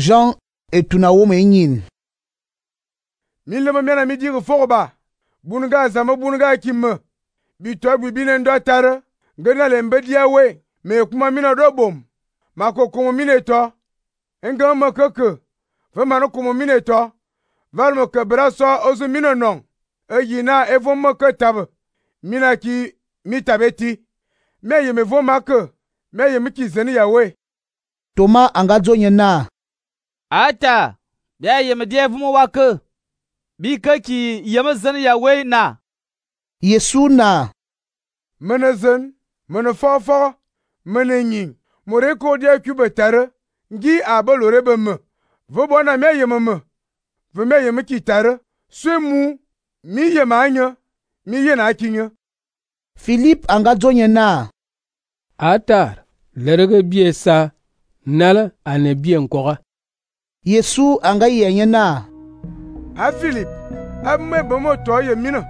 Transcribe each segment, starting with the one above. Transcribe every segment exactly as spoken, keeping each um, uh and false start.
Jean etuna wom enyin. Mi leme miana mi di fogba. Bunga zama bunga kimme. Bito bi bine ndo tare. Ngena le mbedia we. Me kuma mina do bom. Mako kumu mine to. Nga ma keke. Ve manu kumu mine to. Val mo ke braso ozu mine non. E yina e vom mo ke tabe. Mina ki mi tabeti. Me ye me vom make. Me ye mi ki zeni ya we. Thomas anga zonye na. Ata. Ya ye me die vom wake. Bi ke ki ye me zeni ya we na. Yesu na. Mene zen. Mene fofo. Mene nyin. More ko dia kube tare. Ngi abalore be me. Ve bona me ye me me. Ve me ye mi ki tare. Swe mu. Mi ye ma anya. Mi ye na kinye. Philippe anga zonye na. Atar. Lerege bie sa. Nala ane bie nkora. Yesu anga yenye na. A Philippe. A me bomo to ye mina.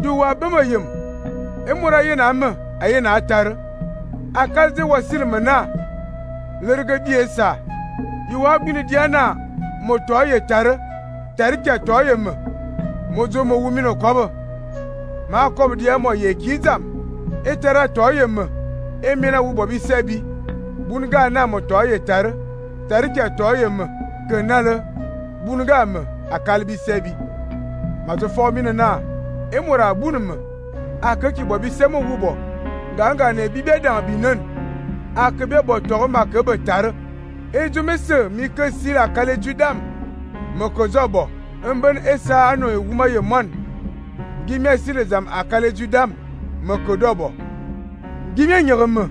Duwa bema yem. E mura ye na me. A ye na atar. A kalze wasil me na. Lerege bie sa. Iwa bini diana. Mo to ye tare. Tare ke to ye me. Mozo mo wumino kobo. Ma kobo dia mo ye kizam. E tara to ye me. E mina wu bobi sebi. Bunga na mo to ye tare. Tare ke to ye me. Ke nale. Bunga me akalbi sebi. Ma to fo mina na. E mora bunu me. Aka ki bobi semo wubo. Ganga ne bibe dan binan. Aka be bo to ma ke be tare. E jo me se mi ke sila kale judam. Mo ko zobo. Mben esa ano e wuma ye mon. Gimye sile zam akale judam. Me ko dobo. Gimye nyereme.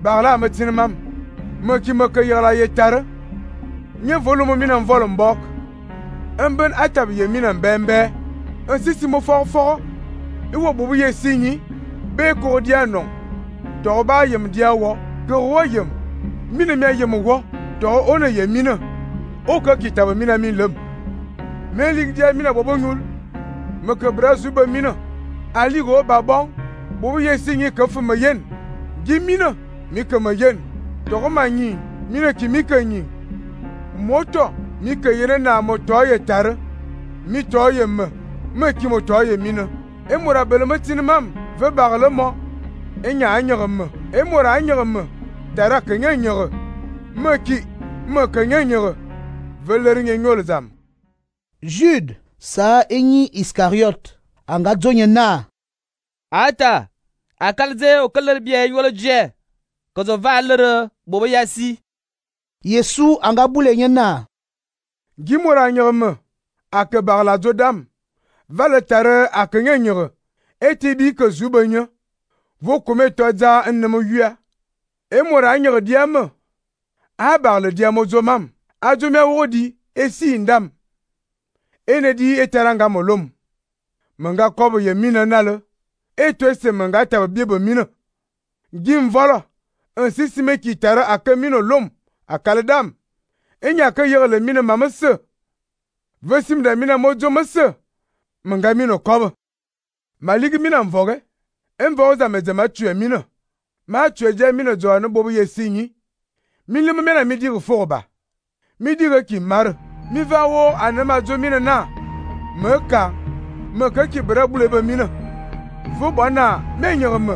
Barla me tinmam. Me ki me ke yala ye tare. Nye volume mina mvolo mbok. Mben atab ye mina mbembe. Nsisi mo for for. Iwo bubu ye sinyi. Be ko dia non. To ba yem dia wo. Ke wo yem. Mina me yem wo. To one ye mina. O ka kitaba mina min lem. Me lig dia mina bobo nyul. Me ke brasu ba mina. Ali go babon. Bobu ye sinyi ke fu me yen. Gi mina mi ke me yen. To ko manyi. Mina ki mi ke nyi. Moto mi ke yene na moto ye tare. Mi to ye me. Me ki moto ye mina. E mora bele me tinmam. Ve bagle mo. E nya anyere me. E mora anyere me. Tara ke nya nyere. Me ki me ke nya nyere. Ve ler nye nyol zam. Jude sa enyi Iscariot anga zonye na. Ata. Akalze o keler bie yolo je. Kozo valere bobo yasi. Yesu anga bule na. Gimora nyerme. Ake bagla zodam. Vale tare ake nye nyere. Eti bi ke zubenye. Vo kome toza ennemo yua. E mora nyere diame. A bagle diamo zomam. A zome wodi. Esi indam. Ene di eteranga molom. Menga kobo ye mina nale. Eto ese menga tabe biebe mina. Gim vola. Nsisi me ki tare ake mino lom. Akale dam. Enya ke yele mina mamese. Vesim da mina mojo mese. Menga mino kobo. Maligi mina mvoge. Envoge za mezema tue mina. Ma tue je mina zo ane bobo ye sinyi. Mili mena mi dire forba. Mi dire ki mare. Mi va wo anema zo mina na. Me ka. Me ke ki bere bule be mina. Vo bona me nyere me.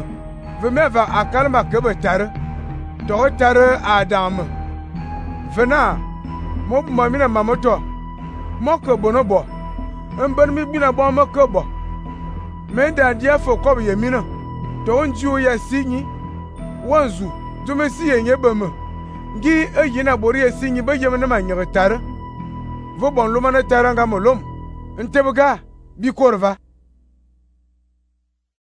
Ve me va akale ma ke be tare. To tare adam. Vena. Mo ma mina mamoto. Mo ke bonobo. Mben mi bina bo mo ke bo. Me da dia fo ko ye mina. To nju ya sinyi. Wanzu. Jo me si ye nyebe me. Ngi eyina bori ye sinyi be yem na ma nyere tare. Vo bon luma na tare nga molom. Ntebega bi korva.